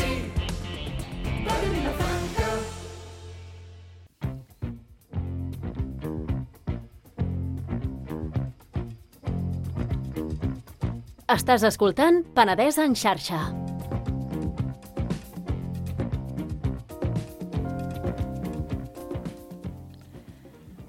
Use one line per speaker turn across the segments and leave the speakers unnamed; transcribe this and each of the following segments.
sí, Ràdio Vilafranca.
Estàs escoltant Penedès en xarxa.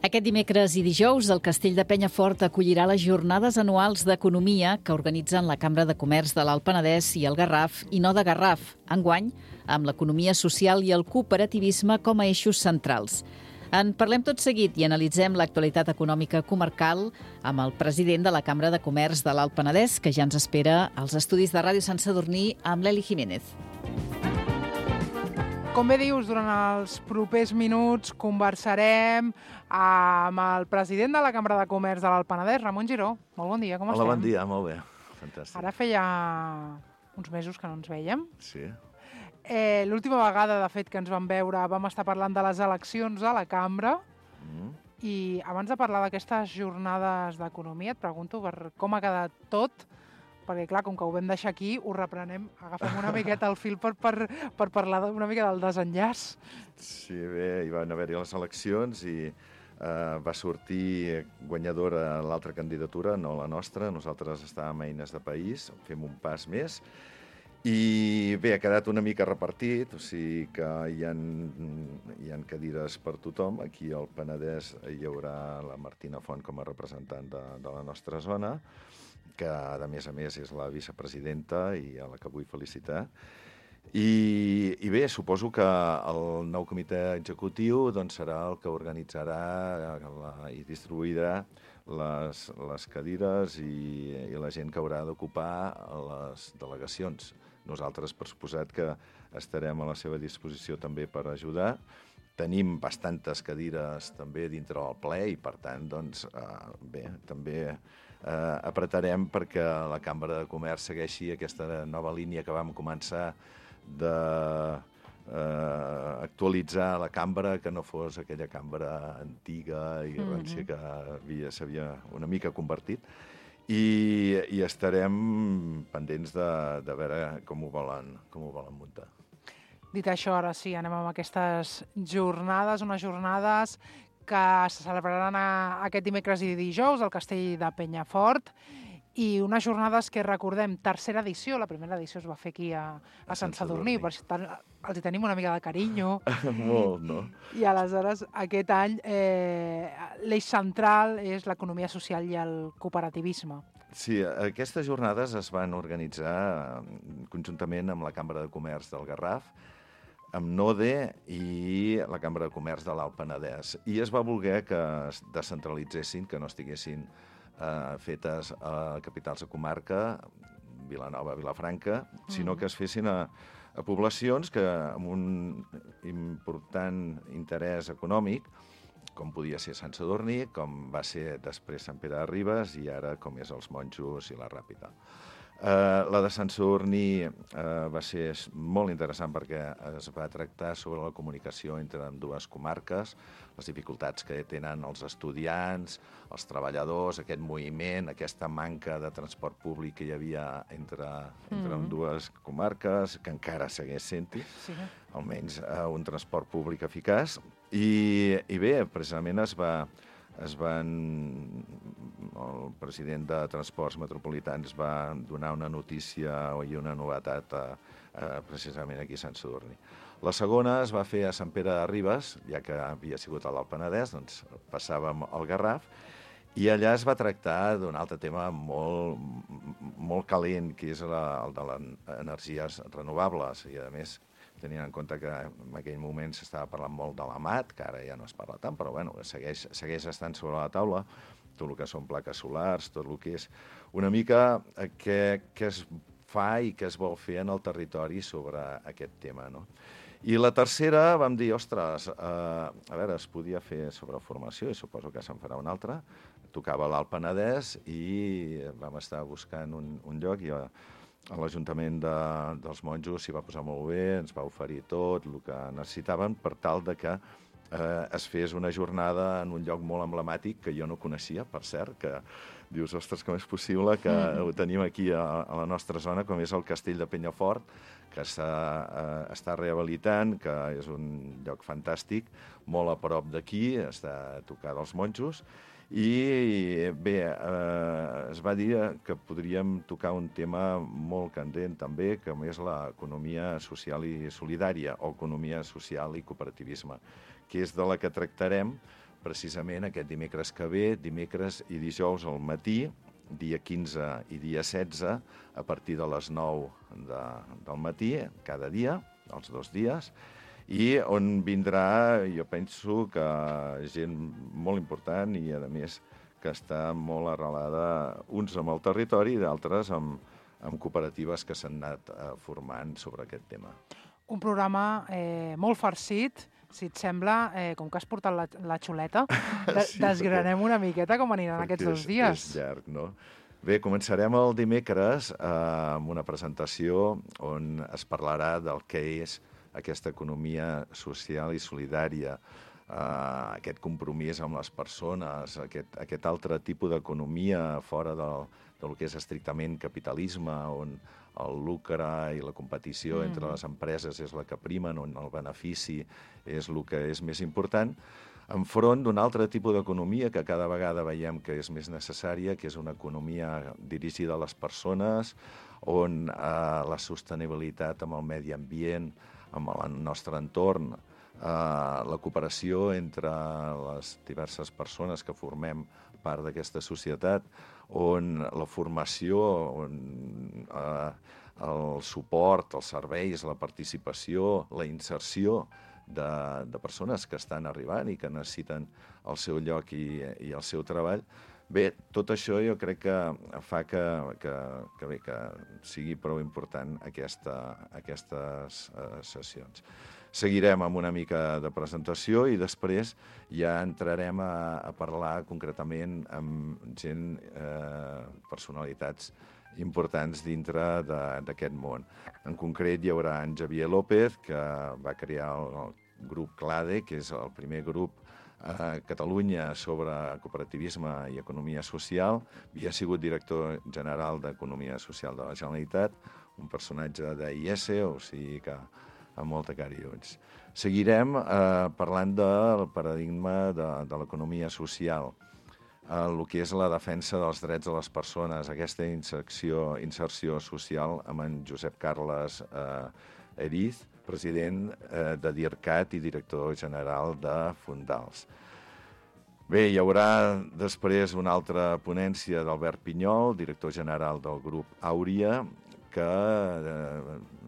Aquest dimecres i dijous, el Castell de Penyafort acollirà les jornades anuals d'economia que organitzen la Cambra de Comerç de l'Alt Penedès i el Garraf, i no de Garraf, enguany amb l'economia social i el cooperativisme com a eixos centrals. En parlem tot seguit i analitzem l'actualitat econòmica comarcal amb el president de la Cambra de Comerç de l'Alt Penedès, que ja ens espera als estudis de Ràdio Sant Sadurní amb l'Eli Jiménez.
Com bé dius, durant els propers minuts conversarem amb el president de la Cambra de Comerç de l'Alt Penedès, Ramon Giró. Molt bon dia, com estem?
Hola, bon dia, molt bé. Fantàstic.
Ara feia uns mesos que no ens vèiem.
Sí.
L'última vegada, de fet, que ens vam veure, vam estar parlant de les eleccions a la Cambra. I abans de parlar d'aquestes jornades d'economia, et pregunto per com ha quedat tot, perquè, clar, com que ho vam deixar aquí, ho reprenem, agafem una miqueta el fil per parlar una mica del desenllaç.
Sí, bé, hi van haver-hi les eleccions i va sortir guanyadora l'altra candidatura, no la nostra. Nosaltres estàvem a Eines de País, fem un pas més. I bé, ha quedat una mica repartit, o sigui que hi ha cadires per tothom. Aquí al Penedès hi haurà la Martina Font com a representant de la nostra zona, que a més és la vicepresidenta i a la que vull felicitar. I bé, suposo que el nou comitè executiu doncs, serà el que organitzarà i distribuirà les cadires i la gent que haurà d'ocupar les delegacions. Nosaltres, per suposat, que estarem a la seva disposició també per ajudar. Tenim bastantes cadires també dintre del ple i, per tant, doncs, bé, també apretarem perquè la Cambra de Comerç segueixi aquesta nova línia que vam començar d'actualitzar la cambra, que no fos aquella cambra antiga i rància que s'havia una mica convertit. I estarem pendents de veure com ho volen muntar.
Dit això, ara sí, anem amb aquestes jornades, unes jornades que se celebraran aquest dimecres i dijous al Castell de Penyafort, i unes jornades que recordem, tercera edició, la primera edició es va fer aquí a Sant Sadurní, per tant els hi tenim una mica de carinyo.
Molt, no?
I aleshores aquest any l'eix central és l'economia social i el cooperativisme.
Sí, aquestes jornades es van organitzar conjuntament amb la Cambra de Comerç del Garraf, amb NODE i la Cambra de Comerç de l'Alt Penedès. I es va voler que es descentralitzessin, que no estiguessin fetes a capitals de comarca, Vilanova, Vilafranca, sinó que es fessin a poblacions que amb un important interès econòmic, com podia ser Sant Sadurní, com va ser després Sant Pere de Ribes i ara com és els Monjos i la Ràpita. La de Sant Sadurní va ser molt interessant perquè es va tractar sobre la comunicació entre dues comarques, les dificultats que tenen els estudiants, els treballadors, aquest moviment, aquesta manca de transport públic que hi havia entre dues comarques, que encara segueix sent-hi, almenys un transport públic eficaç. I bé, precisament el president de Transports Metropolitans va donar una notícia i una novetat precisament aquí a Sant Sadurní. La segona es va fer a Sant Pere de Ribes, ja que havia sigut a l'Alt Penedès, doncs passàvem al Garraf, i allà es va tractar d'un altre tema molt calent, que és el de les energies renovables, i a més tenint en compte que en aquell moment s'estava parlant molt de l'AMAT, que ara ja no es parla tant, però bueno, segueix estant sobre la taula, tot el que són plaques solars, tot el que és una mica què es fa i què es vol fer en el territori sobre aquest tema, no? I la tercera vam dir, ostres, a veure, es podia fer sobre formació, i suposo que se'n farà una altra, tocava l'Alt Penedès i vam estar buscant un lloc i l'Ajuntament dels Monjos s'hi va posar molt bé, ens va oferir tot el que necessitaven per tal de que es fes una jornada en un lloc molt emblemàtic que jo no coneixia, per cert, que dius, ostres, com és possible que ho tenim aquí a la nostra zona, com és el Castell de Penyafort, que està rehabilitant, que és un lloc fantàstic, molt a prop d'aquí, està a tocar dels monjos, i bé, es va dir que podríem tocar un tema molt candent també, com és l'economia social i solidària, o economia social i cooperativisme, que és de la que tractarem precisament aquest dimecres que ve, dimecres i dijous al matí, dia 15 i dia 16, a partir de les 9 del matí, cada dia, els 2 dies, i on vindrà, jo penso que gent molt important i, a més, que està molt arrelada, uns amb el territori i d'altres amb cooperatives que s'han anat formant sobre aquest tema.
Un programa molt farcit, si et sembla, com que has portat la xuleta, desgranem una miqueta com aniran aquests 2 dies.
És llarg, no? Bé, començarem el dimecres amb una presentació on es parlarà del que és aquesta economia social i solidària, aquest compromís amb les persones, aquest altre tipus d'economia fora del que és estrictament capitalisme, on el lucre i la competició entre les empreses és la que primen, on el benefici és el que és més important, enfront d'un altre tipus d'economia que cada vegada veiem que és més necessària, que és una economia dirigida a les persones, on la sostenibilitat amb el medi ambient, amb el nostre entorn, la cooperació entre les diverses persones que formem part d'aquesta societat, on la formació, on el suport, els serveis, la participació, la inserció de persones que estan arribant i que necessiten el seu lloc i el seu treball. Bé, tot això jo crec que fa que sigui prou important aquestes sessions. Seguirem amb una mica de presentació i després ja entrarem a parlar concretament amb gent, personalitats importants dintre d'aquest món. En concret hi haurà en Javier López, que va crear el grup CLADE, que és el primer grup a Catalunya sobre cooperativisme i economia social. Havia sigut director general d'Economia Social de la Generalitat, un personatge d'IS, o sigui que amb molta cara i ulls. Seguirem parlant del paradigma de l'economia social, el que és la defensa dels drets de les persones, aquesta inserció social amb en Josep Carles Eriz, president de DIRCAT i director general de Fundals. Bé, hi haurà després una altra ponència d'Albert Pinyol, director general del grup Àuria, que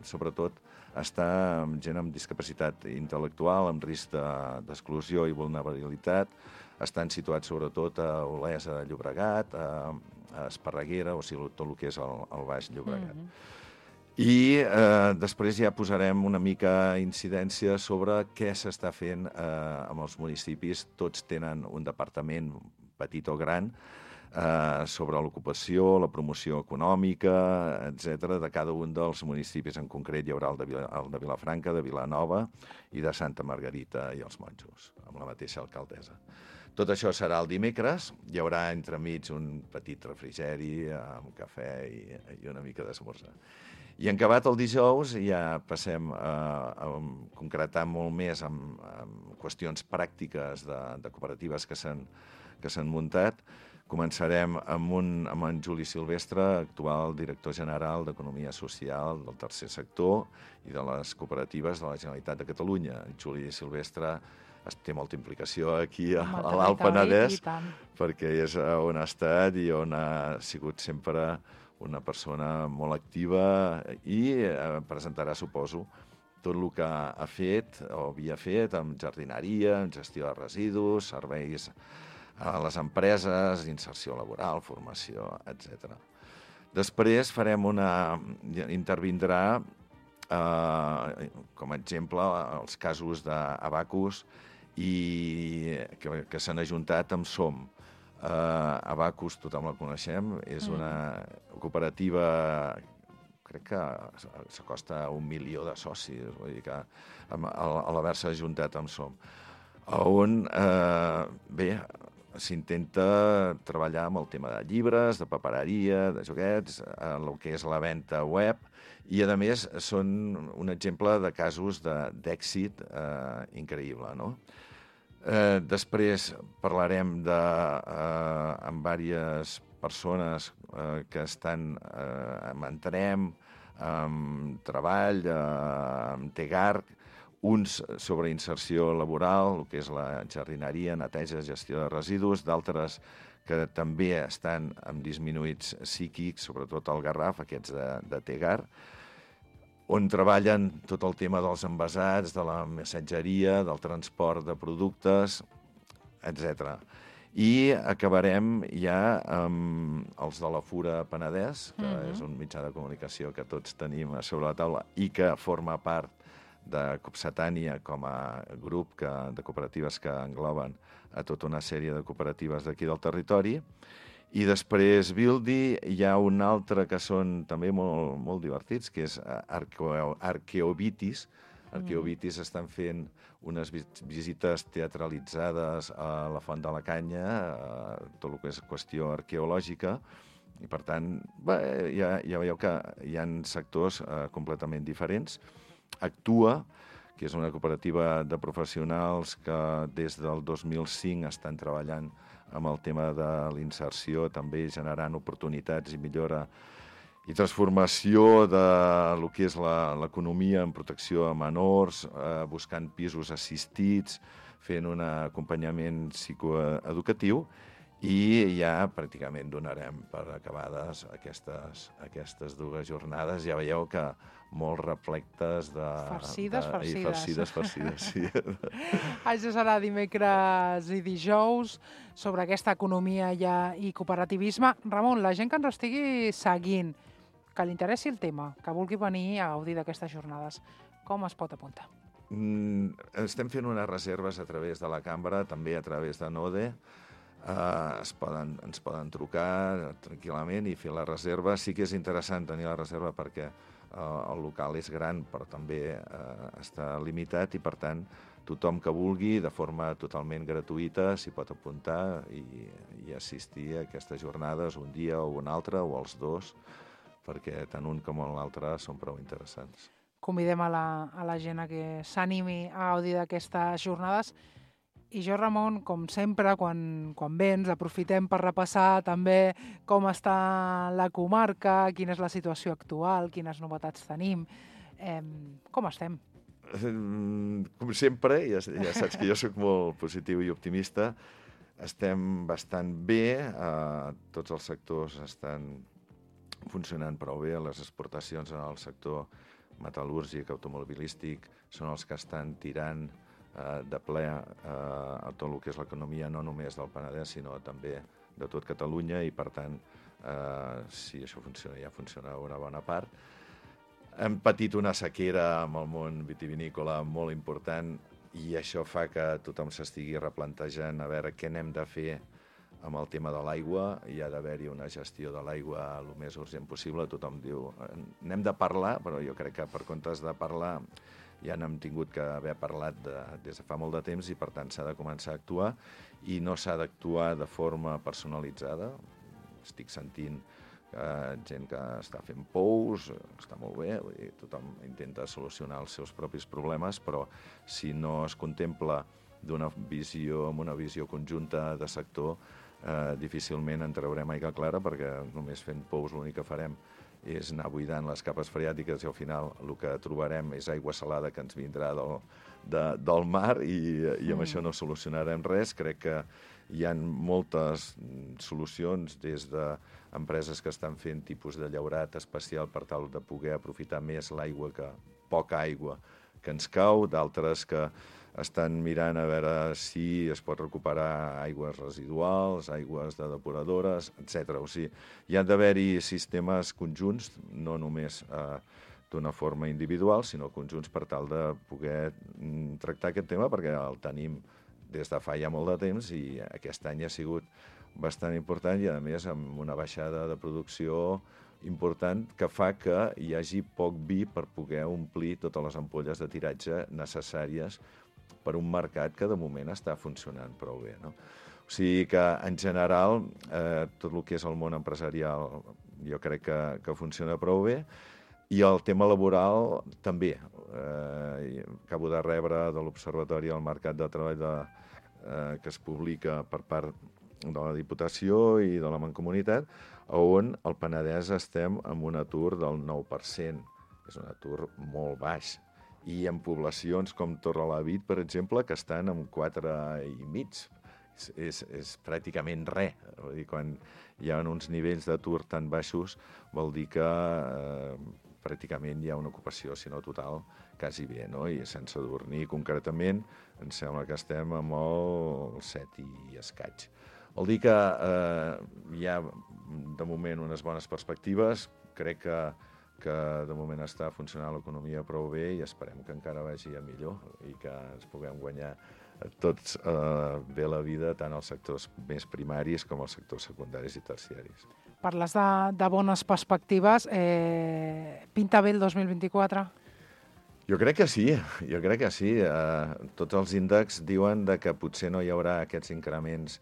sobretot està amb gent amb discapacitat intel·lectual, amb risc d'exclusió i vulnerabilitat. Estan situats sobretot a Olesa de Llobregat, a Esparreguera, o sigui, tot el que és el Baix Llobregat. I després ja posarem una mica incidència sobre què s'està fent amb els municipis. Tots tenen un departament, petit o gran, sobre l'ocupació, la promoció econòmica, etc. De cada un dels municipis. En concret hi haurà el de Vilafranca, de Vilanova i de Santa Margarita i els Monjos, amb la mateixa alcaldessa. Tot això serà el dimecres. Hi haurà entremig un petit refrigeri amb cafè i una mica d'esmorzar. I en acabat el dijous ja passem a concretar molt més amb qüestions pràctiques de cooperatives que s'han muntat. Començarem amb en Juli Silvestre, actual director general d'Economia Social del Tercer Sector i de les cooperatives de la Generalitat de Catalunya. Juli Silvestre té molta implicació aquí a l'Alt Penedès, perquè és on ha estat i on ha sigut sempre una persona molt activa i presentarà, suposo, tot el que ha fet o havia fet amb jardineria, amb gestió de residus, serveis a les empreses, inserció laboral, formació, etc. Després intervindrà, com a exemple, els casos d'Abacus que s'han ajuntat amb SOM. Abacus, tothom la coneixem, és una cooperativa, crec que s'acosta a 1 milió de socis, vull dir que a l'haver-se ajuntat amb SOM. on, bé, s'intenta treballar amb el tema de llibres, de papereria, de joguets, el que és la venda web, i, a més, són un exemple de casos d'èxit increïble, no? Després parlarem amb diverses persones que estan amb Entenem, amb Treball, amb Tegarc, uns sobre inserció laboral, el que és la jardineria, neteja, gestió de residus, d'altres que també estan amb disminuïts psíquics, sobretot al Garraf, aquests de Tegar, on treballen tot el tema dels envasats, de la missatgeria, del transport de productes, etc. I acabarem ja amb els de la Fura Penedès, que és un mitjà de comunicació que tots tenim a sobre la taula i que forma part de Copsetània com a grup de cooperatives que engloben a tota una sèrie de cooperatives d'aquí del territori. I després Bildi hi ha un altre que són també molt divertits, que és Arqueobitis. Arqueobitis estan fent unes visites teatralitzades a la Font de la Canya, tot el que és qüestió arqueològica, i per tant, ja veieu que hi ha sectors completament diferents. Actua, que és una cooperativa de professionals que des del 2005 estan treballant amb el tema de l'inserció, també generant oportunitats i millora i transformació de lo que és l'economia en protecció a menors, buscant pisos assistits, fent un acompanyament psicoeducatiu, i ja pràcticament donarem per acabades aquestes dues jornades. Ja veieu que molt replectes de...
Farcides.
Farcides, sí.
Això serà dimecres i dijous sobre aquesta economia i cooperativisme. Ramon, la gent que ens estigui seguint, que li interessi el tema, que vulgui venir a gaudir d'aquestes jornades, com es pot apuntar?
Estem fent unes reserves a través de la cambra, també a través de Node. Ens poden trucar tranquil·lament i fer la reserva. Sí que és interessant tenir la reserva perquè el local és gran, però també està limitat i, per tant, tothom que vulgui, de forma totalment gratuïta, s'hi pot apuntar i assistir a aquestes jornades un dia o un altre, o els dos, perquè tant un com l'altre són prou interessants.
Convidem a la gent a que s'animi a gaudir d'aquestes jornades. I jo, Ramon, com sempre, quan vens, aprofitem per repassar també com està la comarca, quina és la situació actual, quines novetats tenim. Com estem?
Com sempre, ja saps que jo soc molt positiu i optimista, estem bastant bé, tots els sectors estan funcionant prou bé, les exportacions en el sector metal·lúrgic, automobilístic, són els que estan tirant de ple a tot el que és l'economia, no només del Penedès, sinó també de tot Catalunya, i per tant, si això funciona, ja funciona una bona part. Hem patit una sequera amb el món vitivinícola molt important i això fa que tothom s'estigui replantejant a veure què n'hem de fer amb el tema de l'aigua. Hi ha d'haver-hi una gestió de l'aigua el més urgent possible. Tothom diu, n'hem de parlar, però jo crec que per comptes de parlar ja n'hem tingut que haver parlat des de fa molt de temps i, per tant, s'ha de començar a actuar i no s'ha d'actuar de forma personalitzada. Estic sentint gent que està fent pous, està molt bé, vull dir, tothom intenta solucionar els seus propis problemes, però si no es contempla amb una visió conjunta de sector, difícilment en traurem aigua clara, perquè només fent pous l'únic que farem és anar buidant les capes freàtiques i al final el que trobarem és aigua salada que ens vindrà del mar i amb això no solucionarem res. Crec que hi ha moltes solucions des d'empreses que estan fent tipus de llaurat especial per tal de poder aprofitar més l'aigua, poca aigua que ens cau, d'altres que estan mirant a veure si es pot recuperar aigües residuals, aigües de depuradores, etc. O sigui, hi ha d'haver-hi sistemes conjunts, no només d'una forma individual, sinó conjunts per tal de poder tractar aquest tema, perquè el tenim des de fa ja molt de temps i aquest any ha sigut bastant important i, a més, amb una baixada de producció important que fa que hi hagi poc vi per poder omplir totes les ampolles de tiratge necessàries per un mercat que de moment està funcionant prou bé, no? O sigui que, en general, tot el que és el món empresarial jo crec que funciona prou bé, i el tema laboral també. Acabo de rebre de l'Observatori del Mercat de Treball que es publica per part de la Diputació i de la Mancomunitat, on al Penedès estem amb un atur del 9%. És un atur molt baix. I en poblacions com Torrelavit, per exemple, que estan amb 4,5%. És pràcticament res. Vull dir, quan hi ha uns nivells d'atur tan baixos, vol dir que pràcticament hi ha una ocupació, si no total, quasi bé, no? I sense dormir concretament, em sembla que estem amb el 7 i escaig. Vol dir que hi ha, de moment, unes bones perspectives. Crec que de moment està funcionant l'economia prou bé i esperem que encara vagi a millor i que ens puguem guanyar tots bé la vida, tant als sectors més primaris com als sectors secundaris i terciaris.
Parles de bones perspectives. Pinta bé el 2024?
Jo crec que sí, Tots els índexs diuen que potser no hi haurà aquests increments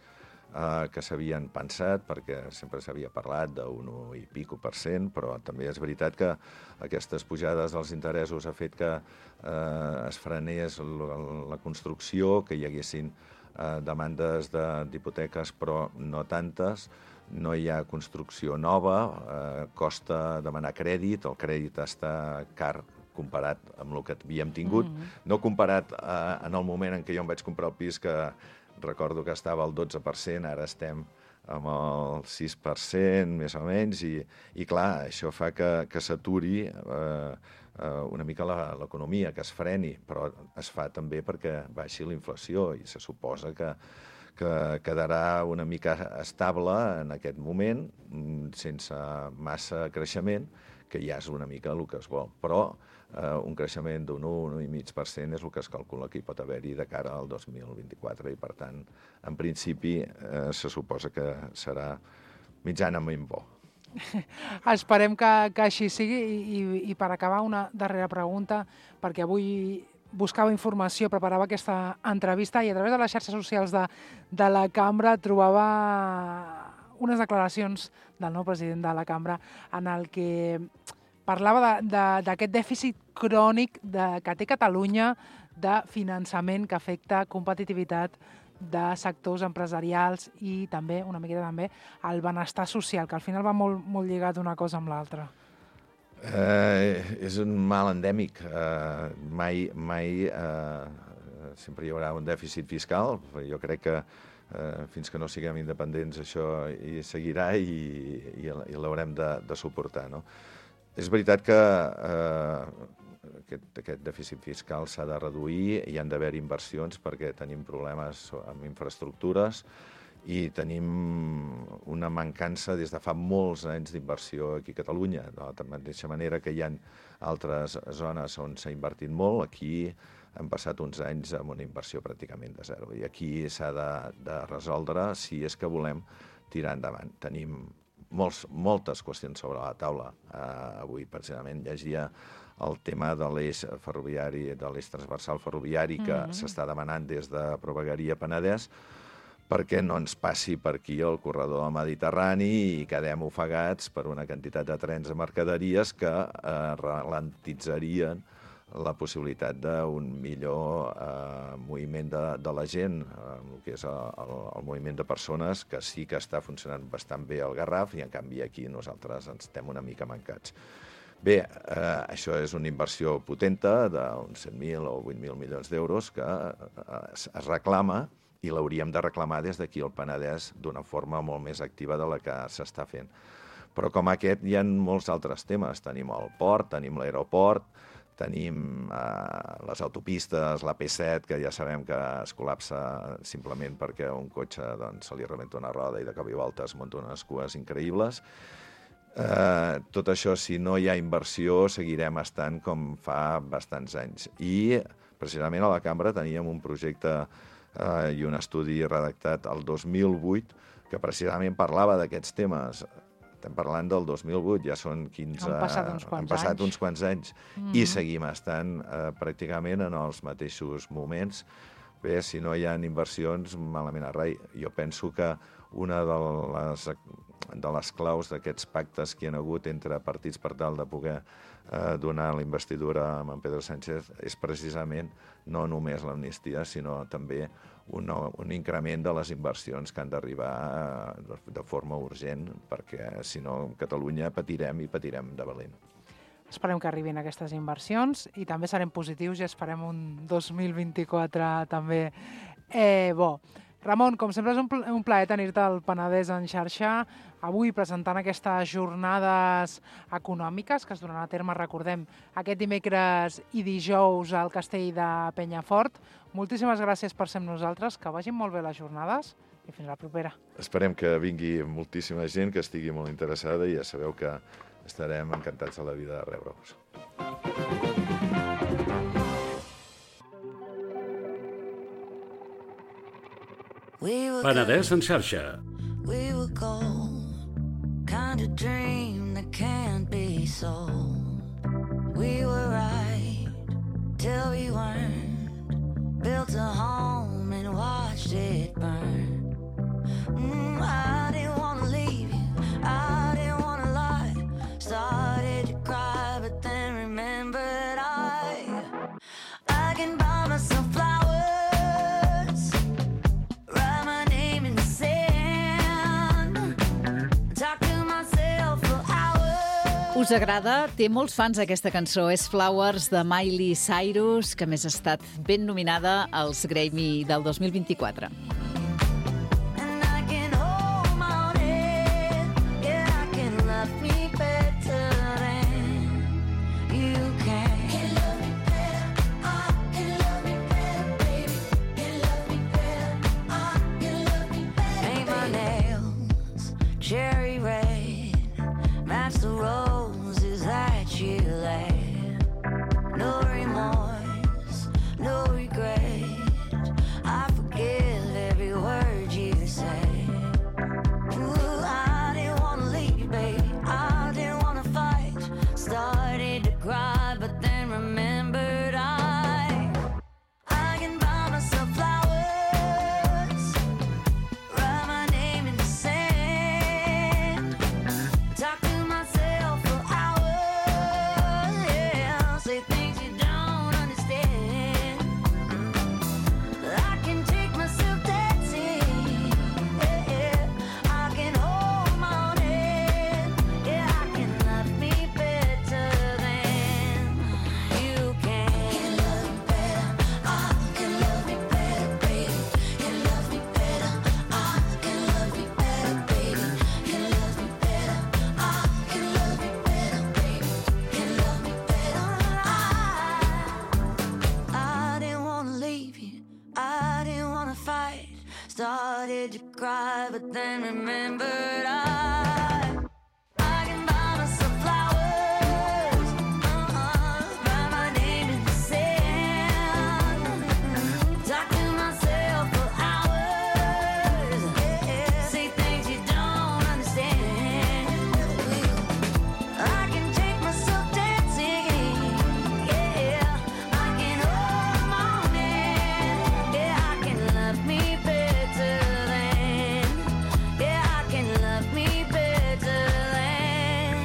que s'havien pensat, perquè sempre s'havia parlat d'un 1 i pico %, però també és veritat que aquestes pujades dels interessos ha fet que es frenés la construcció, que hi haguessin demandes d'hipoteques, però no tantes, no hi ha construcció nova, costa demanar crèdit, el crèdit està car comparat amb el que havíem tingut, no comparat en el moment en què jo em vaig comprar el pis, que recordo que estava al 12%, ara estem amb el 6%, més o menys, i clar, això fa que s'aturi una mica l'economia, que es freni, però es fa també perquè baixi la inflació, i se suposa que quedarà una mica estable en aquest moment, sense massa creixement, que ja és una mica el que es vol. Però un creixement d'un 1,5% és el que es calcula que hi pot haver-hi de cara al 2024, i per tant, en principi, se suposa que serà mitjanament bo.
Esperem que així sigui, i per acabar una darrera pregunta, perquè avui buscava informació, preparava aquesta entrevista i a través de les xarxes socials de la cambra trobava unes declaracions del nou president de la cambra en el que parlava d'aquest dèficit crònic que té Catalunya de finançament que afecta competitivitat de sectors empresarials i també, una miqueta també, el benestar social, que al final va molt lligat una cosa amb l'altra.
És un mal endèmic. Mai sempre hi haurà un dèficit fiscal. Jo crec que fins que no siguem independents això hi seguirà i l'haurem de suportar, no? És veritat que aquest dèficit fiscal s'ha de reduir, hi han d'haver inversions perquè tenim problemes amb infraestructures i tenim una mancança des de fa molts anys d'inversió aquí a Catalunya. De la mateixa manera que hi ha altres zones on s'ha invertit molt, aquí hem passat uns anys amb una inversió pràcticament de zero. I aquí s'ha de resoldre si és que volem tirar endavant. Tenim moltes qüestions sobre la taula. Avui, precisament, llegia el tema de l'eix ferroviari, de l'eix transversal ferroviari que s'està demanant des de Provegaria Penedès, perquè no ens passi per aquí el corredor del Mediterrani i quedem ofegats per una quantitat de trens de mercaderies que ralentitzarien la possibilitat d'un millor moviment de la gent, el que és el moviment de persones, que sí que està funcionant bastant bé al Garraf, i en canvi aquí nosaltres ens estem una mica mancats. Bé, això és una inversió potenta d'uns 7.000 o 8.000 milions d'euros que es reclama, i l'hauríem de reclamar des d'aquí al Penedès d'una forma molt més activa de la que s'està fent. Però com aquest hi ha molts altres temes. Tenim el port, tenim l'aeroport, tenim les autopistes, la P7, que ja sabem que es col·lapsa simplement perquè a un cotxe se li rebenta una roda i de cop i volta es munta unes cues increïbles. Tot això, si no hi ha inversió, seguirem estant com fa bastants anys. I precisament a la cambra teníem un projecte i un estudi redactat el 2008 que precisament parlava d'aquests temes. estem parlant del 2008, ja són 15...
Han passat uns quants
anys. I seguim estant pràcticament en els mateixos moments. Bé, si no hi ha inversions, malament a rai. Jo penso que una de les claus d'aquests pactes que hi ha hagut entre partits per tal de poder donar la investidura a en Pedro Sánchez és precisament no només l'amnistia, sinó també un increment de les inversions que han d'arribar de forma urgent, perquè si no, Catalunya patirem i patirem de valent.
Esperem que arribin aquestes inversions i també serem positius i esperem un 2024 també bo. Ramon, com sempre és un plaer tenir-te al Penedès en xarxa, avui presentant aquestes jornades econòmiques que es donaran a terme, recordem, aquest dimecres i dijous al Castell de Penyafort. Moltíssimes gràcies per ser amb nosaltres, que vagin molt bé les jornades i fins la propera.
Esperem que vingui moltíssima gent, que estigui molt interessada i ja sabeu que estarem encantats de la vida de rebre-vos.
Penedès en xarxa.
We were gold, kind of dream that can't be sold. We were right till we weren't, built a home and watched it burn. I didn't want to leave you, I didn't want to lie. Started to cry, but then remembered I can buy myself flowers, write my name in the sand, talk to myself for hours.
Us agrada? Té molts fans aquesta cançó. És Flowers de Miley Cyrus, que a més ha estat ben nominada als Grammy del 2024.
Cherry red, match the roses that you laid. No remorse, no regret. I forgive every word you say. Ooh, I didn't want to leave, baby. I didn't want to fight. Started to cry, but then remembered I can buy myself flowers, write my name in the sand, talk to myself for hours, yeah, say things you don't understand. I can take myself dancing, yeah, I can hold my own hand, yeah, I can love me better than you can. Can love me better, I can love me better, baby. Can love me better, I can love me better, baby. Can love me better, I can love me better, baby. Can love me better, I didn't want to leave you, I didn't want to fight. Started to cry, but then remembered I can buy myself flowers, write my name in the sand, talk to myself for hours, yeah, say things you don't understand. I can take myself dancing, yeah, I can hold my own hand, yeah, I can love me better than, yeah, I can love me better than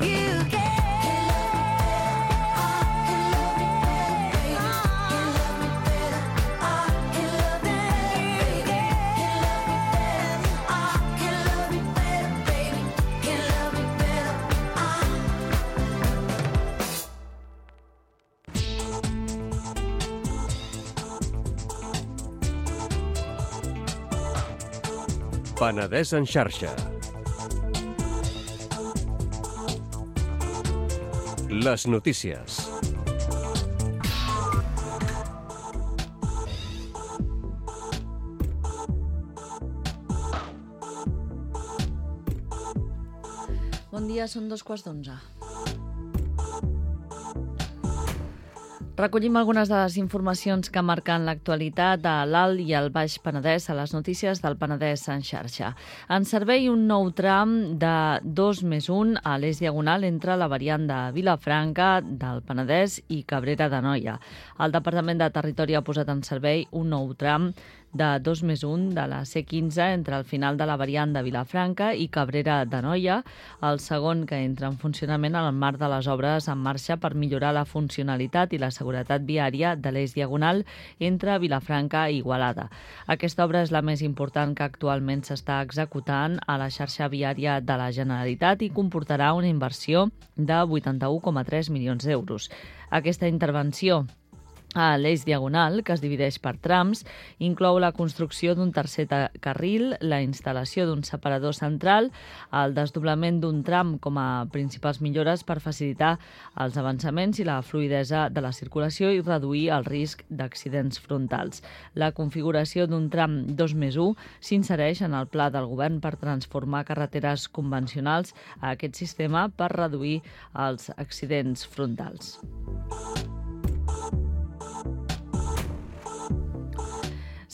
you can.
Penedès en xarxa. Les notícies.
Bon dia, són 2:15. Recollim algunes de les informacions que marquen l'actualitat a l'Alt i al Baix Penedès a les notícies del Penedès en xarxa. En servei un nou tram de 2+1 a l'eix diagonal entre la variant de Vilafranca del Penedès i Cabrera d'Anoia. El Departament de Territori ha posat en servei un nou tram de 2+1 de la C15 entre el final de la variant de Vilafranca i Cabrera d'Anoia, el segon que entra en funcionament en el marc de les obres en marxa per millorar la funcionalitat i la seguretat viària de l'eix diagonal entre Vilafranca i Igualada. Aquesta obra és la més important que actualment s'està executant a la xarxa viària de la Generalitat i comportarà una inversió de 81,3 milions d'euros. Aquesta intervenció a l'eix diagonal, que es divideix per trams, inclou la construcció d'un tercer carril, la instal·lació d'un separador central, el desdoblament d'un tram com a principals millores per facilitar els avançaments i la fluïdesa de la circulació i reduir el risc d'accidents frontals. La configuració d'un tram 2+1 s'insereix en el pla del govern per transformar carreteres convencionals a aquest sistema per reduir els accidents frontals.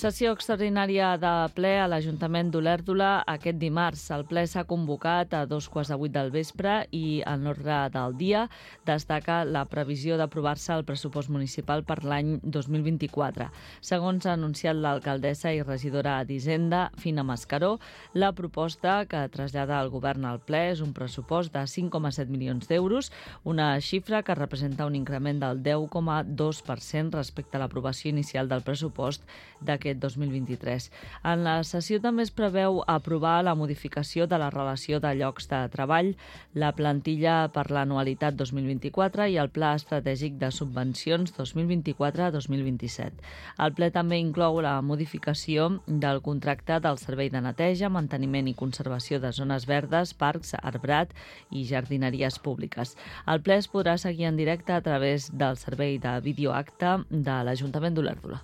Sessió extraordinària de ple a l'Ajuntament d'Olèrdola aquest dimarts. El ple s'ha convocat a 7:15 del vespre i en l'ordre del dia destaca la previsió d'aprovar-se el pressupost municipal per l'any 2024. Segons ha anunciat l'alcaldessa i regidora d'Hisenda, Fina Mascaró, la proposta que trasllada el govern al ple és un pressupost de 5,7 milions d'euros, una xifra que representa un increment del 10,2% respecte a l'aprovació inicial del pressupost d'aquest 2023. En la sessió també es preveu aprovar la modificació de la relació de llocs de treball, la plantilla per l'anualitat 2024 i el Pla Estratègic de Subvencions 2024-2027. El ple també inclou la modificació del contracte del Servei de Neteja, Manteniment i Conservació de Zones Verdes, Parcs, Arbrat i Jardineries Públiques. El ple es podrà seguir en directe a través del servei de videoacte de l'Ajuntament d'Olèrdola.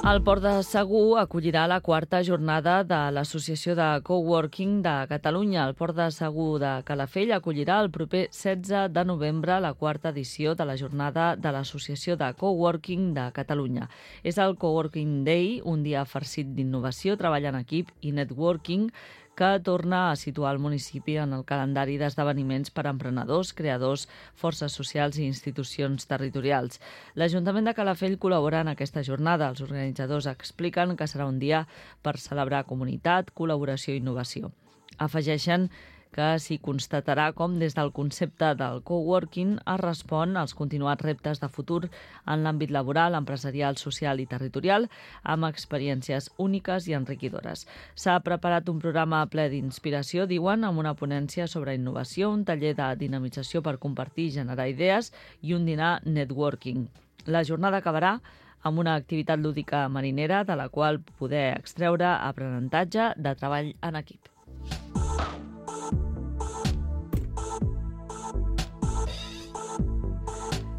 El Port de Segur acollirà la quarta jornada de l'Associació de Coworking de Catalunya. El Port de Segur de Calafell acollirà el proper 16 de novembre la quarta edició de la jornada de l'Associació de Coworking de Catalunya. És el Coworking Day, un dia farcit d'innovació, treball en equip i networking, que torna a situar el municipi en el calendari d'esdeveniments per a emprenedors, creadors, forces socials i institucions territorials. L'Ajuntament de Calafell col·labora en aquesta jornada. Els organitzadors expliquen que serà un dia per celebrar comunitat, col·laboració i innovació. Afegeixen que s'hi constatarà com des del concepte del coworking es respon als continuats reptes de futur en l'àmbit laboral, empresarial, social i territorial, amb experiències úniques i enriquidores. S'ha preparat un programa ple d'inspiració, diuen, amb una ponència sobre innovació, un taller de dinamització per compartir i generar idees i un dinar networking. La jornada acabarà amb una activitat lúdica marinera de la qual poder extreure aprenentatge de treball en equip.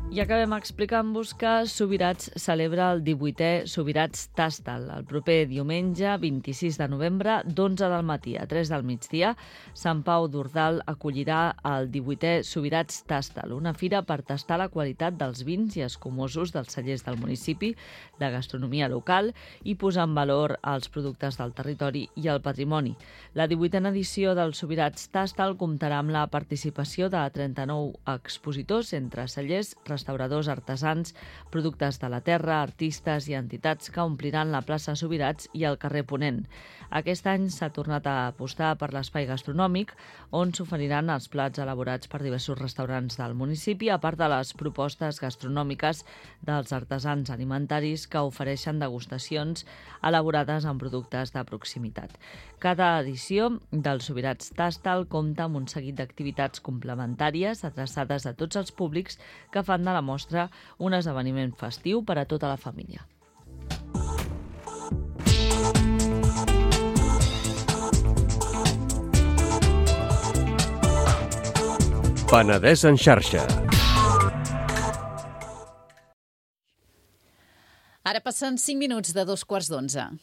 I acabem explicant-vos que Subirats celebra el 18è Subirats Tastal. El proper diumenge, 26 de novembre, d'11 del matí a 3 del migdia, Sant Pau d'Ordal acollirà el 18è Subirats Tastal, una fira per tastar la qualitat dels vins i escumosos dels cellers del municipi, la gastronomia local i posar en valor els productes del territori i el patrimoni. La 18a edició del Subirats Tastal comptarà amb la participació de 39 expositors entre cellers, restauradors, artesans, productes de la terra, artistes i entitats que ompliran la plaça Subirats i el carrer Ponent. Aquest any s'ha tornat a apostar per l'espai gastronòmic, on s'oferiran els plats elaborats per diversos restaurants del municipi, a part de les propostes gastronòmiques dels artesans alimentaris que ofereixen degustacions elaborades amb productes de proximitat. Cada edició del Subirats Tastal compta amb un seguit d'activitats complementàries adreçades a tots els públics que fan de la mostra un esdeveniment festiu per a tota la família.
Penedès en xarxa.
Ara passen 5 minuts de 2:15.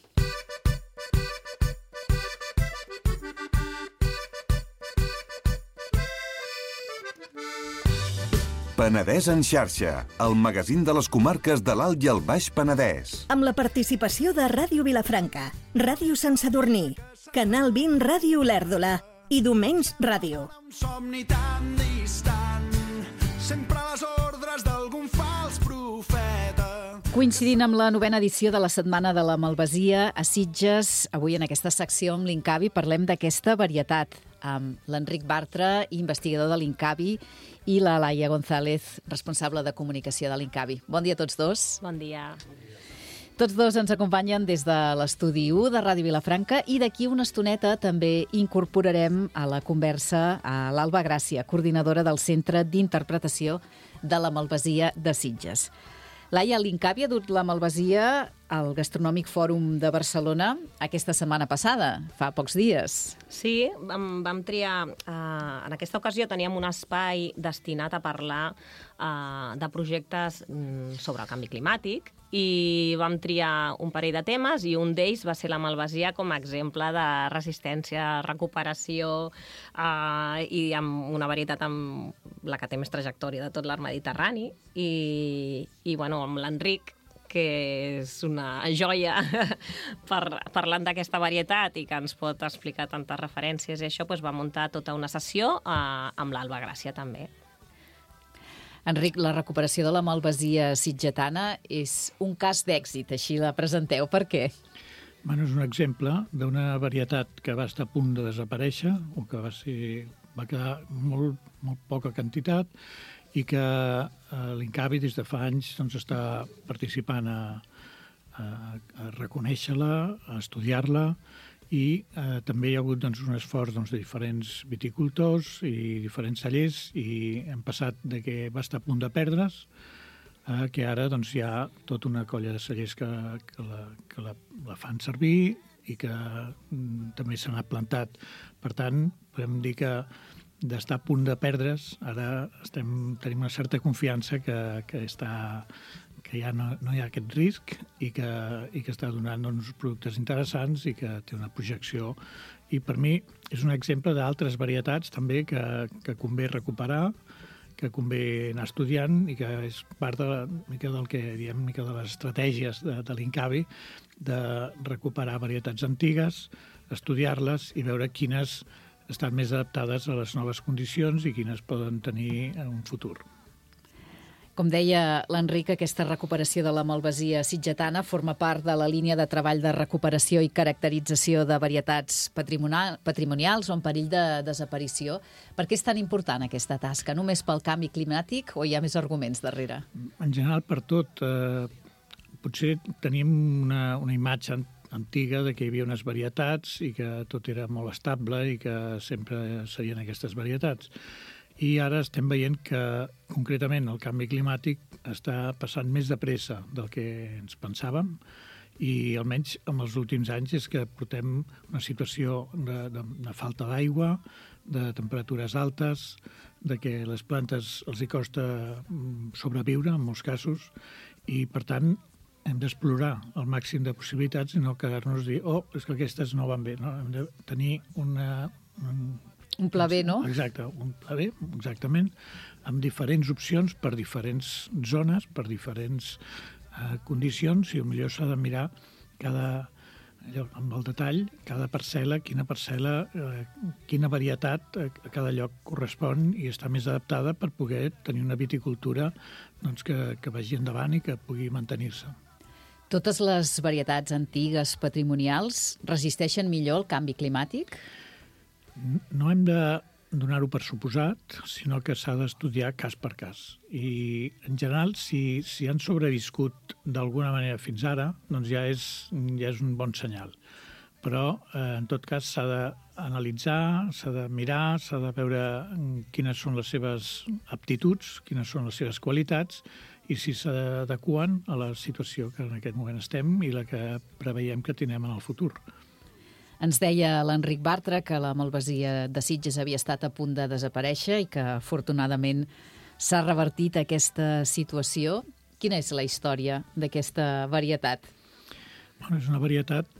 Penedès en xarxa, el magazín de les comarques de l'Alt i el Baix Penedès.
Amb la participació de Ràdio Vilafranca, Ràdio Sant Sadurní, Canal 20 Ràdio Olèrdola i Domenys Ràdio.
Un somni tan distant, sempre a les ordres d'algun fals profeta.
Coincidint amb la 9a edició de la Setmana de la Malvasia a Sitges, avui en aquesta secció amb l'Incavi parlem d'aquesta varietat amb l'Enric Bartra, investigador de l'Incavi, i la Laia González, responsable de comunicació de l'Incavi. Bon dia a tots dos.
Bon dia.
Tots dos ens acompanyen des de l'estudi 1 de Ràdio Vilafranca i d'aquí una estoneta també incorporarem a la conversa a l'Alba Gràcia, coordinadora del Centre d'Interpretació de la Malvasia de Sitges. Laia, l'Incavi ha dut la Malvasia al Gastronòmic Fòrum de Barcelona aquesta setmana passada, fa pocs dies.
Sí, vam triar... en aquesta ocasió teníem un espai destinat a parlar de projectes sobre el canvi climàtic i vam triar un parell de temes i un d'ells va ser la malvasia com a exemple de resistència, recuperació i amb una varietat amb la que té més trajectòria de tot l'art mediterrani i bueno, amb l'Enric, que és una joia parlant d'aquesta varietat i que ens pot explicar tantes referències i això, doncs va muntar tota una sessió amb l'Alba Gràcia també.
Enric, la recuperació de la malvasia sitgetana és un cas d'èxit, així la presenteu. Per què?
Bueno, és un exemple d'una varietat que va estar a punt de desaparèixer o que va quedar molt poca quantitat i que l'Incavi des de fa anys està participant a reconèixer-la, a estudiar-la i també hi ha hagut un esforç de diferents viticultors i diferents cellers i hem passat de que va estar a punt de perdre's que ara hi ha tota una colla de cellers que la fan servir i que també s'han plantat. Per tant, podem dir que d'estar a punt de perdre's, ara tenim una certa confiança que ja no hi ha aquest risc i que està donant uns productes interessants i que té una projecció. I per mi és un exemple d'altres varietats també que convé recuperar, que convé anar estudiant i que és part del que diem de les estratègies de l'Incavi de recuperar varietats antigues, estudiar-les i veure quines estan més adaptades a les noves condicions i quines poden tenir un futur.
Com deia l'Enric, aquesta recuperació de la malvasia sitgetana forma part de la línia de treball de recuperació i caracterització de varietats patrimonials o en perill de desaparició. Per què és tan important aquesta tasca? Només pel canvi climàtic o hi ha més arguments darrere?
En general, per tot. Potser tenim una imatge antiga de que hi havia unes varietats i que tot era molt estable i que sempre serien aquestes varietats. I ara estem veient que, concretament, el canvi climàtic està passant més de pressa del que ens pensàvem i, almenys, en els últims anys és que portem una situació de falta d'aigua, de temperatures altes, de que les plantes els hi costa sobreviure, en molts casos, i, per tant, hem d'explorar el màxim de possibilitats i no quedar-nos a dir és que aquestes no van bé. No? Hem de tenir
un pla B, no?
Exacte, un pla B, exactament, amb diferents opcions per diferents zones, per diferents condicions, i potser s'ha de mirar amb el detall, cada parcel·la, quina varietat a cada lloc correspon i està més adaptada per poder tenir una viticultura que vagi endavant i que pugui mantenir-se.
Totes les varietats antigues patrimonials resisteixen millor el canvi climàtic?
No hem de donar-ho per suposat, sinó que s'ha d'estudiar cas per cas. I, en general, si han sobreviscut d'alguna manera fins ara, doncs ja és un bon senyal. Però, en tot cas, s'ha d'analitzar, s'ha de mirar, s'ha de veure quines són les seves aptituds, quines són les seves qualitats, i si s'adeqüen a la situació que en aquest moment estem i la que preveiem que tindrem en el futur.
Ens deia l'Enric Bartra que la malvasia de Sitges havia estat a punt de desaparèixer i que, afortunadament, s'ha revertit aquesta situació. Quina és la història d'aquesta varietat?
Bueno, és una varietat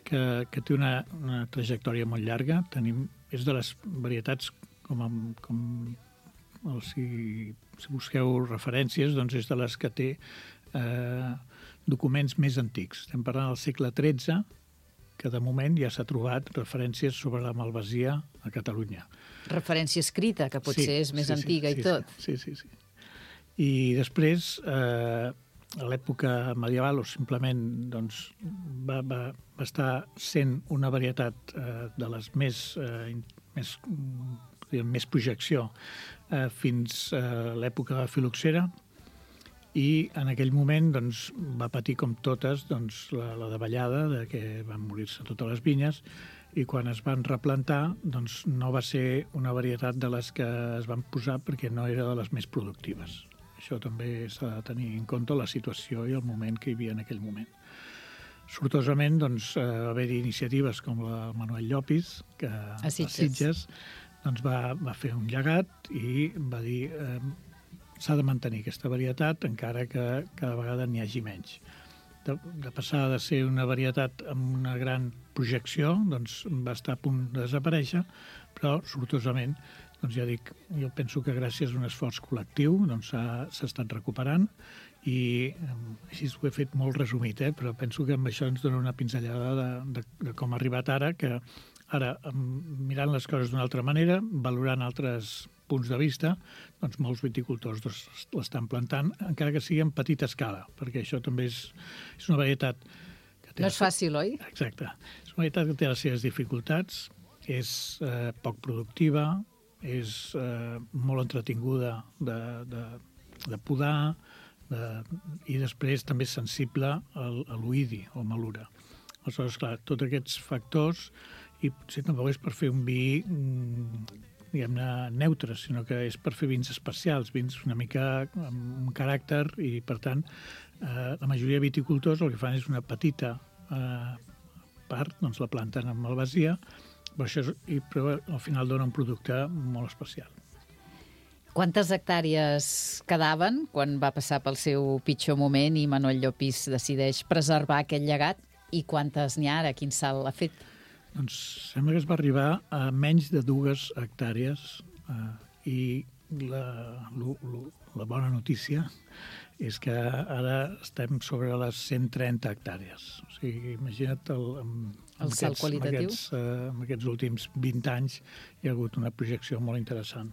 que té una trajectòria molt llarga. És de les varietats, com si busqueu referències, doncs és de les que té documents més antics. Estem parlant del segle XIII, que de moment ja s'ha trobat referències sobre la malvasia a Catalunya.
Referència escrita, que potser és més antiga i tot.
Sí. I després, a l'època medieval, o simplement doncs, va estar sent una varietat de les més projecció fins a l'època de la filoxera, i en aquell moment doncs, va patir com totes doncs, la davallada, que van morir-se totes les vinyes, i quan es van replantar doncs, no va ser una varietat de les que es van posar perquè no era de les més productives. Això també s'ha de tenir en compte la situació i el moment que hi havia en aquell moment. Sortosament doncs, va haver-hi iniciatives com la Manuel Llopis, que a Sitges doncs, va fer un llegat i va dir s'ha de mantenir aquesta varietat encara que cada vegada n'hi hagi menys. De passar de ser una varietat amb una gran projecció, doncs va estar a punt de desaparèixer, però sortosament, doncs ja dic, jo penso que gràcies a un esforç col·lectiu doncs s'ha estat recuperant i així ho he fet molt resumit, però penso que amb això ens dona una pinzellada de com ha arribat ara, que ara, mirant les coses d'una altra manera, valorant altres punts de vista, doncs molts viticultors l'estan plantant, encara que sigui en petita escala, perquè això també és una varietat que té...
No és fàcil, oi?
Exacte. És una varietat que té les seves dificultats, és poc productiva, és molt entretinguda de podar, i després també és sensible a l'oïdi o malura. Aleshores, clar, tots aquests factors, i potser tampoc és per fer un vi diguem-ne, neutre, sinó que és per fer vins especials, vins una mica amb un caràcter, i per tant la majoria de viticultors el que fan és una petita part, doncs la planten amb malvasia, però al final dona un producte molt especial.
Quantes hectàrees quedaven quan va passar pel seu pitjor moment i Manuel Llopis decideix preservar aquest llegat, i quantes n'hi ha ara? Quin salt ha fet?
Doncs sembla que es va arribar a menys de 2 hectàrees i la bona notícia és que ara estem sobre les 130 hectàrees. O sigui, imagina't
el salt qualitatiu.
En aquests últims 20 anys hi ha hagut una projecció molt interessant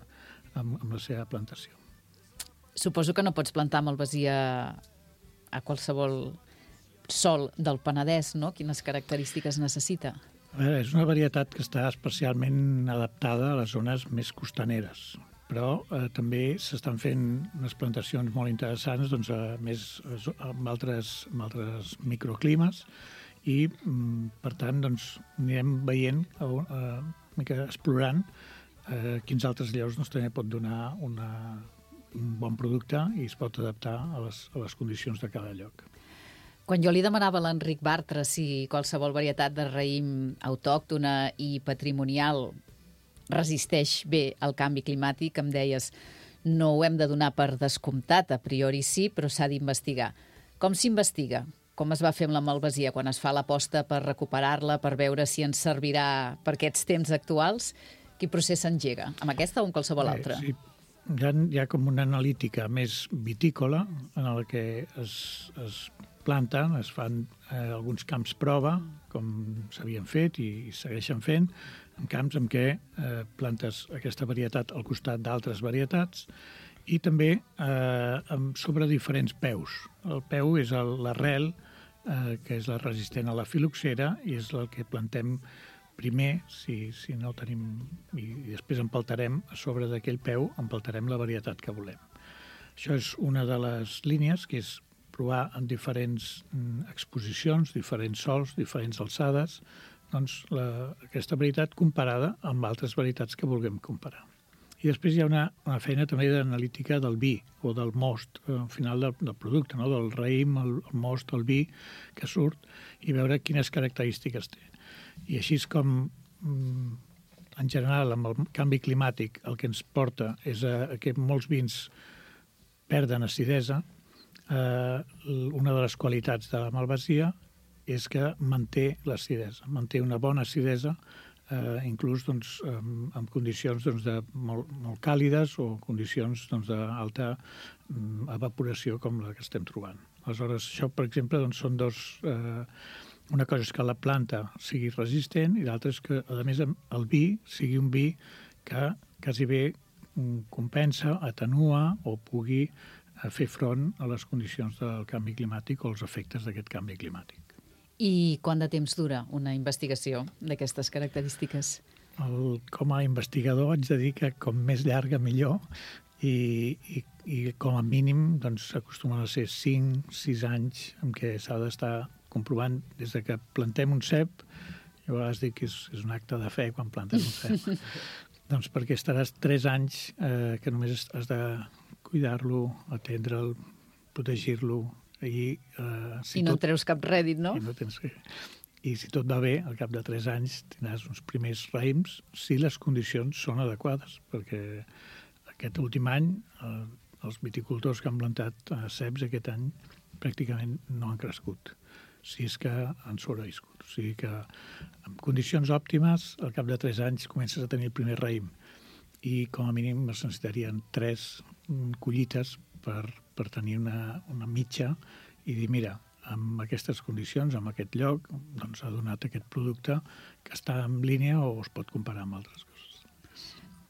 amb la seva plantació.
Suposo que no pots plantar malvasia a qualsevol sòl del Penedès, no? Quines característiques necessita?
És una varietat que està especialment adaptada a les zones més costaneres, però també s'estan fent unes plantacions molt interessants doncs, amb altres microclimes, i per tant doncs, anirem veient, explorant quins altres llocs doncs, també pot donar un bon producte i es pot adaptar a les condicions de cada lloc.
Quan jo li demanava a l'Enric Bartra si qualsevol varietat de raïm autòctona i patrimonial resisteix bé al canvi climàtic, em deies no ho hem de donar per descomptat, a priori sí, però s'ha d'investigar. Com s'investiga? Com es va fer amb la malvasia quan es fa l'aposta per recuperar-la, per veure si ens servirà per aquests temps actuals? Quin procés s'engega? Amb aquesta o amb qualsevol altra?
Sí. Hi ha com una analítica més vitícola en la que es planten, es fan alguns camps prova, com s'havien fet i segueixen fent, en camps en què plantes aquesta varietat al costat d'altres varietats, i també sobre diferents peus. El peu és l'arrel, que és la resistent a la filoxera, i és el que plantem primer, si no tenim, i després empaltarem a sobre d'aquell peu, empaltarem la varietat que volem. Això és una de les línies, que és provar en diferents exposicions, diferents sols, diferents alçades, doncs aquesta varietat comparada amb altres varietats que vulguem comparar. I després hi ha una feina també d'analítica del vi o del most, al final del producte, no? Del raïm, el most, el vi que surt, i veure quines característiques té. I així és com, en general, amb el canvi climàtic, el que ens porta és que molts vins perden acidesa. Una de les qualitats de la malvasia és que manté l'acidesa, manté una bona acidesa inclús doncs, en condicions doncs, molt càlides o condicions doncs, d'alta evaporació com la que estem trobant. Aleshores, això, per exemple, doncs, són dos... Una cosa és que la planta sigui resistent i l'altra és que, a més, el vi sigui un vi que quasi bé compensa, atenua o pugui fer front a les condicions del canvi climàtic o els efectes d'aquest canvi climàtic.
I quant de temps dura una investigació d'aquestes característiques?
Com a investigador haig de dir que com més llarga millor i com a mínim doncs, acostumen a ser 5-6 anys en què s'ha d'estar comprovant des de que plantem un cep. Jo a vegades dic que és un acte de fe quan plantem un cep. Doncs perquè estaràs 3 anys que només has de cuidar-lo, atendre'l, protegir-lo. I
no en treus cap rèdit, no?
I si tot va bé, al cap de 3 anys tindràs uns primers raïms si les condicions són adequades, perquè aquest últim any els viticultors que han plantat ceps aquest any pràcticament no han crescut, si és que han sobreviscut. O sigui que en condicions òptimes, al cap de 3 anys comences a tenir el primer raïm i com a mínim es necessitarien 3 collites per tenir una mitja i dir, mira, amb aquestes condicions, en aquest lloc, doncs ha donat aquest producte que està en línia o es pot comparar amb altres coses.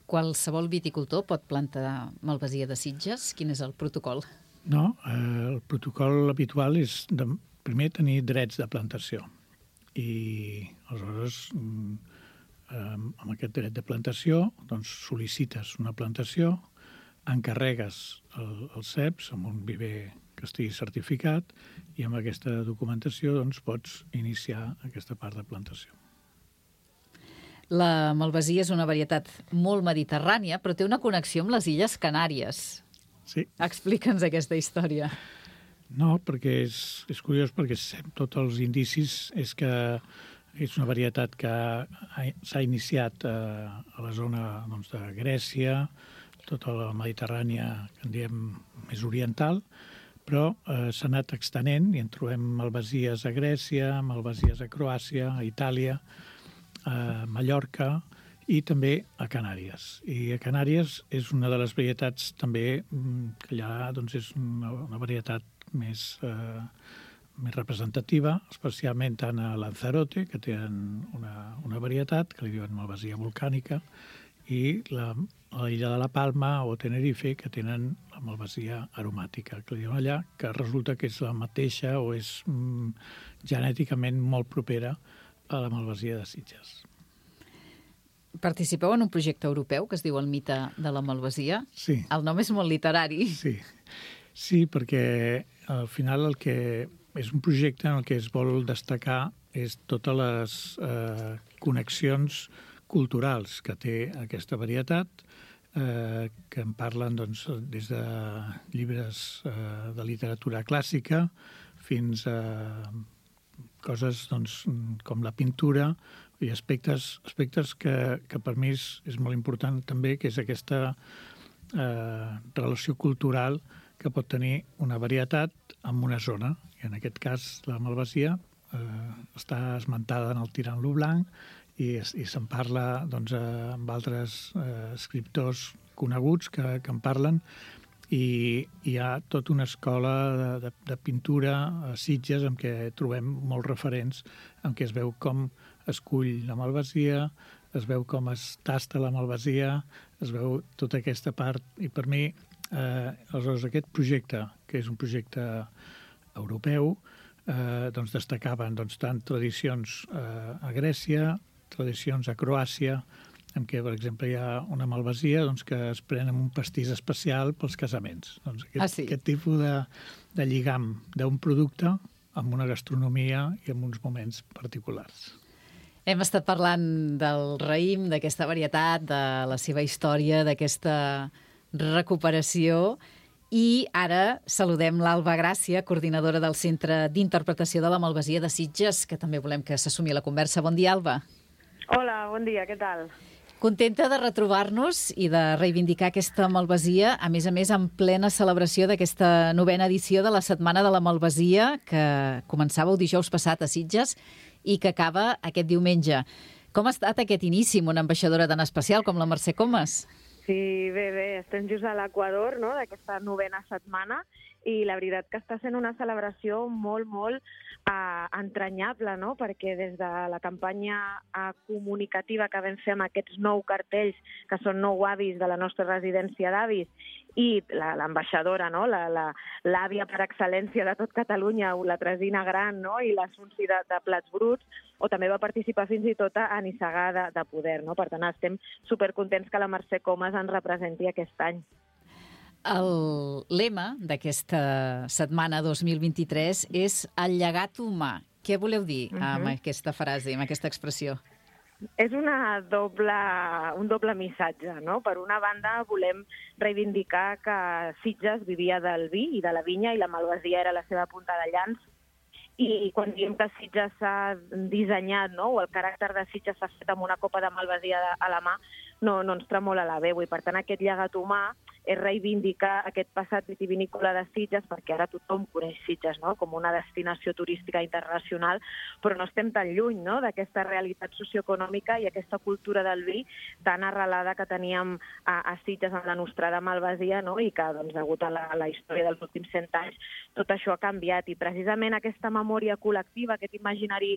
Qualsevol viticultor pot plantar malvasia de Sitges? Quin és el protocol?
No, el protocol habitual és primer tenir drets de plantació i aleshores amb aquest dret de plantació doncs sol·licites una plantació, encarregues els ceps amb un viver que estigui certificat i amb aquesta documentació doncs, pots iniciar aquesta part de plantació.
La malvasia és una varietat molt mediterrània, però té una connexió amb les Illes Canàries.
Sí.
Explica'ns aquesta història.
No, perquè és curiós, perquè tots els indicis és que és una varietat que s'ha iniciat a la zona doncs, de Grècia, tota la Mediterrània, que en diem més oriental, però s'ha anat extenent i en trobem malvasies a Grècia, malvasies a Croàcia, a Itàlia, a Mallorca i també a Canàries. I a Canàries és una de les varietats també que allà doncs, és una varietat més representativa, especialment tant a Lanzarote, que tenen una varietat que li diuen malvasia volcànica, i a l'illa de la Palma o Tenerife, que tenen la malvasia aromàtica, que li diuen allà, que resulta que és la mateixa o és genèticament molt propera a la malvasia de Sitges.
Participeu en un projecte europeu que es diu El mite de la malvasia?
Sí.
El nom és molt literari.
Sí, perquè al final el que és un projecte en el que es vol destacar és totes les connexions culturals que té aquesta varietat, que en parlen doncs, des de llibres de literatura clàssica fins a coses doncs, com la pintura i aspectes que per mi és molt important també, que és aquesta relació cultural que pot tenir una varietat en una zona. I en aquest cas la malvasia està esmentada en el Tirant-lo Blanc i se'n parla doncs, amb altres escriptors coneguts que en parlen, i hi ha tota una escola de pintura a Sitges en què trobem molts referents, en què es veu com es cull la malvasia, es veu com es tasta la malvasia, es veu tota aquesta part. I per mi, aleshores, aquest projecte, que és un projecte europeu, doncs destacaven doncs, tant tradicions a Grècia, tradicions a Croàcia, en què, per exemple, hi ha una malvasia doncs, que es pren amb un pastís especial pels casaments. Doncs aquest tipus de lligam d'un producte amb una gastronomia i amb uns moments particulars.
Hem estat parlant del raïm, d'aquesta varietat, de la seva història, d'aquesta recuperació, i ara saludem l'Alba Gràcia, coordinadora del Centre d'Interpretació de la Malvasia de Sitges, que també volem que s'assumi a la conversa. Bon dia, Alba.
Hola, bon dia, què tal?
Contenta de retrobar-nos i de reivindicar aquesta malvasia, a més, en plena celebració d'aquesta 9ª edició de la Setmana de la Malvasia, que començava el dijous passat a Sitges i que acaba aquest diumenge. Com ha estat aquest inici amb una ambaixadora tan especial com la Mercè Comas?
Sí, bé, estem just a l'Equador, no?, d'aquesta 9a setmana, i la veritat que està sent una celebració molt, molt entranyable, no?, perquè des de la campanya comunicativa que vam fer amb aquests 9 cartells, que són 9 avis de la nostra residència d'avis, i l'ambaixadora, no?, l'àvia per excel·lència de tot Catalunya, la Tresina Gran, no?, i l'Assunci de Plats Bruts, o també va participar fins i tot a Nissaga de Poder, no? Per tant, estem supercontents que la Mercè Comas ens representi aquest any.
El lema d'aquesta setmana 2023 és el llegat humà. Què voleu dir amb aquesta frase, amb aquesta expressió?
És un doble missatge, no? Per una banda, volem reivindicar que Sitges vivia del vi i de la vinya i la malvasia era la seva punta de llança. I quan diem que Sitges s'ha dissenyat, no?, o el caràcter de Sitges s'ha fet amb una copa de malvasia a la mà, no ens tremola la veu. I per tant aquest llegat humà és reivindicar aquest passat vitivinícola de Sitges, perquè ara tothom coneix Sitges, no?, com una destinació turística internacional, però no estem tan lluny, no?, d'aquesta realitat socioeconòmica i aquesta cultura del vi tan arrelada que teníem a Sitges amb la nostrada malvasia, no?, i que, doncs, degut a la història dels últims 100 anys, tot això ha canviat. I precisament aquesta memòria col·lectiva, aquest imaginari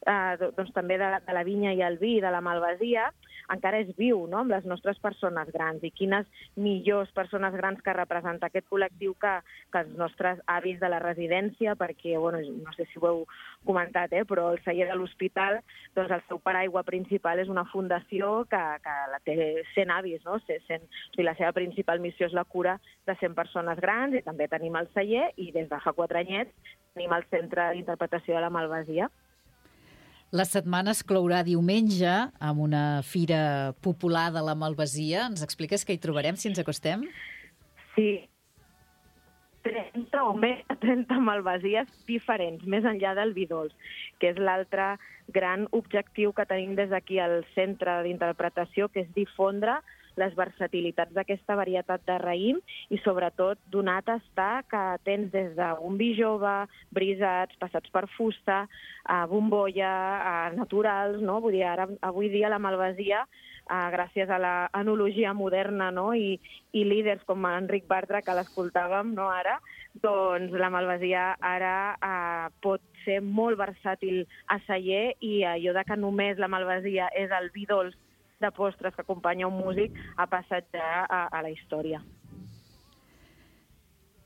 doncs, també de la vinya i el vi, de la malvasia, encara és viu, no?, amb les nostres persones grans. I quines millors persones grans que representa aquest col·lectiu que els nostres avis de la residència, perquè, bueno, no sé si ho heu comentat, però el celler de l'hospital, doncs el seu paraigua principal és una fundació que la té 100 avis, no? O sigui, la seva principal missió és la cura de 100 persones grans, i també tenim el celler, i des de fa 4 anyets tenim el Centre d'Interpretació de la Malvasia.
La setmana es clourà diumenge amb una fira popular de la malvasia. Ens expliques què hi trobarem, si ens acostem?
Sí. 30 o més de 30 malvasies diferents, més enllà del vi dolç, que és l'altre gran objectiu que tenim des d'aquí al Centre d'Interpretació, que és difondre les versatilitats d'aquesta varietat de raïm i, sobretot, donar a tastar que tens des d'un vi jove, brisats, passats per fusta, bombolla, naturals, no? Vull dir, avui dia la malvasia, gràcies a l'enologia moderna, no?, i líders com Enric Bartra, que l'escoltàvem, no, ara, doncs la malvasia ara pot ser molt versàtil a celler, i allò de que només la malvasia és el vi dolç de postres que acompanya un músic ha passat ja a la història.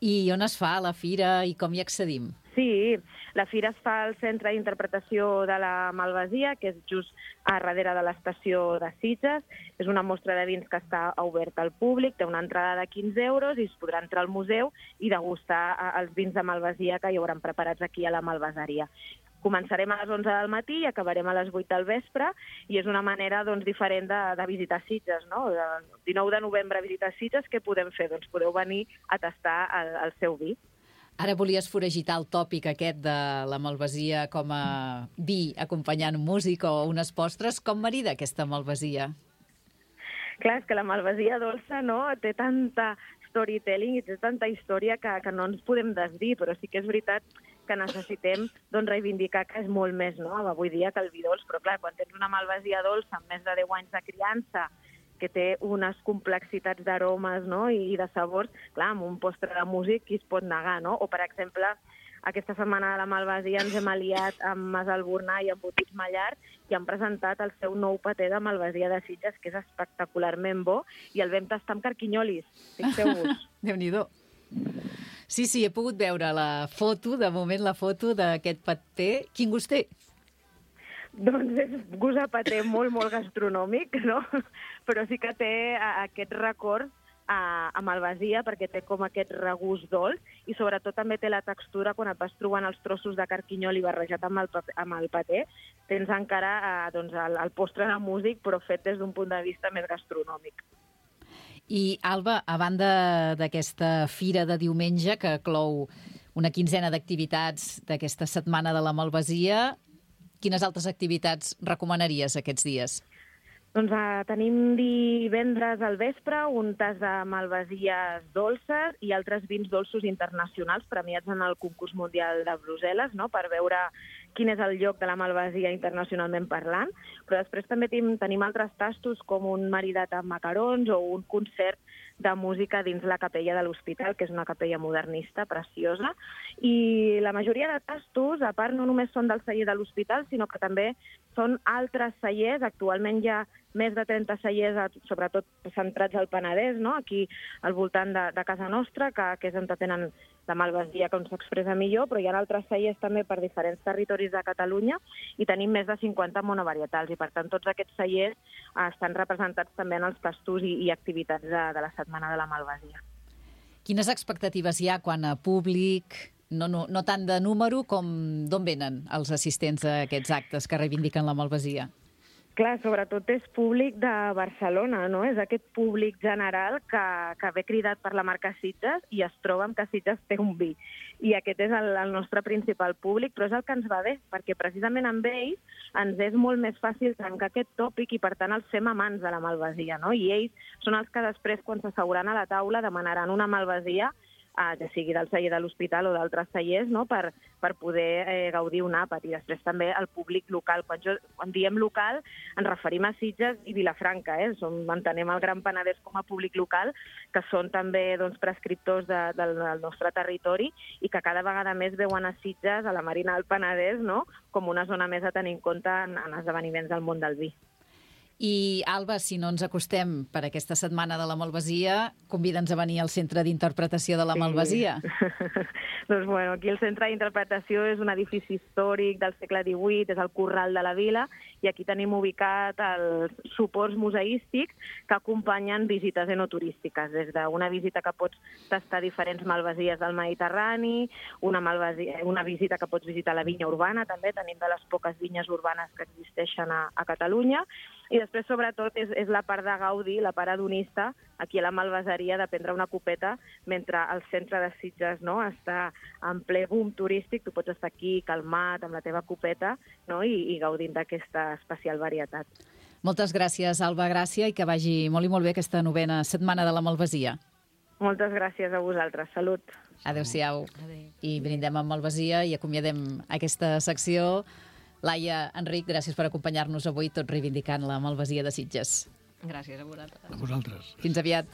I on es fa la fira i com hi accedim?
Sí, la fira es fa al Centre d'Interpretació de la Malvasia, que és just a darrere de l'estació de Sitges. És una mostra de vins que està oberta al públic, té una entrada de 15 euros i es podrà entrar al museu i degustar els vins de malvasia que hi hauran preparats aquí a la malvaseria. Començarem a les 11 del matí i acabarem a les 8 del vespre, i és una manera, doncs, diferent de visitar Sitges, no? El 19 de novembre a visitar Sitges, què podem fer? Doncs podeu venir a tastar el seu vi.
Ara volies foragitar el tòpic aquest de la malvasia com a vi acompanyant música o unes postres. Com marida aquesta malvasia?
Clar, és que la malvasia dolça, no?, té tanta storytelling i té tanta història que no ens podem desdir, però sí que és veritat que necessitem, doncs, reivindicar que és molt més, no?, avui dia que el vi dolç. Però clar, quan tens una malvasia dolça amb més de 10 anys de criança, que té unes complexitats d'aromes, no?, i de sabors, clar, amb un postre de músic qui es pot negar, no? O, per exemple, aquesta setmana de la malvasia ens hem aliat amb Mas Albornà i amb Botits Mallard i han presentat el seu nou paté de malvasia de Sitges, que és espectacularment bo, i el vam tastar amb carquinyolis, fixeu-vos.
Déu-n'hi-do. Sí, he pogut veure la foto, de moment la foto d'aquest paté. Quin gust té?
Doncs és gust a paté molt, molt gastronòmic, no? Però sí que té aquest record a malvasia, perquè té com aquest regust dolç, i sobretot també té la textura quan et vas trobant els trossos de carquinyoli barrejat amb el paté. Tens encara doncs, el postre de músic, però fet des d'un punt de vista més gastronòmic.
I, Alba, a banda d'aquesta fira de diumenge, que clou una quinzena d'activitats d'aquesta setmana de la malvasia, quines altres activitats recomanaries aquests dies?
Doncs tenim divendres al vespre un tas de malvasies dolces i altres vins dolços internacionals premiats en el concurs mundial de Brussel·les, no?, per veure quin és el lloc de la Malvasia internacionalment parlant, però després també tenim altres tastos com un maridat amb macarons o un concert de música dins la capella de l'hospital, que és una capella modernista preciosa. I la majoria de tastos, a part, no només són del celler de l'hospital, sinó que també són altres cellers. Actualment hi ha més de 30 cellers, sobretot centrats al Penedès, no? Aquí al voltant de casa nostra, que és on tenen la Malvasia, com s'expressa millor, però hi ha altres cellers també per diferents territoris de Catalunya i tenim més de 50 monovarietals i, per tant, tots aquests cellers estan representats també en els tastos i activitats de la Setmana de la Malvasia.
Quines expectatives hi ha quan a públic, no tant de número com d'on venen els assistents a aquests actes que reivindiquen la Malvasia?
Clar, sobretot és públic de Barcelona, no? És aquest públic general que ve cridat per la marca Sitges i es troba amb que Sitges té un vi. I aquest és el nostre principal públic, però és el que ens va bé, perquè precisament amb ells ens és molt més fàcil trencar aquest tòpic i, per tant, els fem amants de la Malvasia, no? I ells són els que després, quan s'asseuran a la taula, demanaran una Malvasia, ja sigui del celler de l'hospital o d'altres cellers, no? per poder gaudir un àpat. I després també el públic local. Quan diem local ens referim a Sitges i Vilafranca. Entenem el Gran Penedès com a públic local, que són també prescriptors del nostre territori i que cada vegada més veuen a Sitges, a la Marina del Penedès, no? Com una zona més a tenir en compte en esdeveniments del món del vi.
I, Alba, si no ens acostem per aquesta setmana de la Malvasia, convida'ns a venir al Centre d'Interpretació de la Malvasia.
Doncs, bueno, aquí el Centre d'Interpretació és un edifici històric del segle XVIII, és el Corral de la Vila, i aquí tenim ubicat els suports museístics que acompanyen visites enoturístiques, des d'una visita que pots tastar diferents malvasies del Mediterrani, una visita que pots visitar la vinya urbana, també tenim de les poques vinyes urbanes que existeixen a Catalunya, i després, sobretot, és la part de gaudi, la part hedonista, aquí a la Malvaseria, de prendre una copeta, mentre el centre de Sitges està en ple boom turístic, tu pots estar aquí calmat amb la teva copeta, no? i gaudint d'aquesta especial varietat.
Moltes gràcies, Alba Gràcia, i que vagi molt i molt bé aquesta 9ª setmana de la Malvasia.
Moltes gràcies a vosaltres. Salut.
Adéu-siau. I brindem amb Malvasia i acomiadem aquesta secció. Laia, Enric, gràcies per acompanyar-nos avui, tot reivindicant la Malvasia de Sitges.
Gràcies a vosaltres.
A vosaltres.
Fins aviat.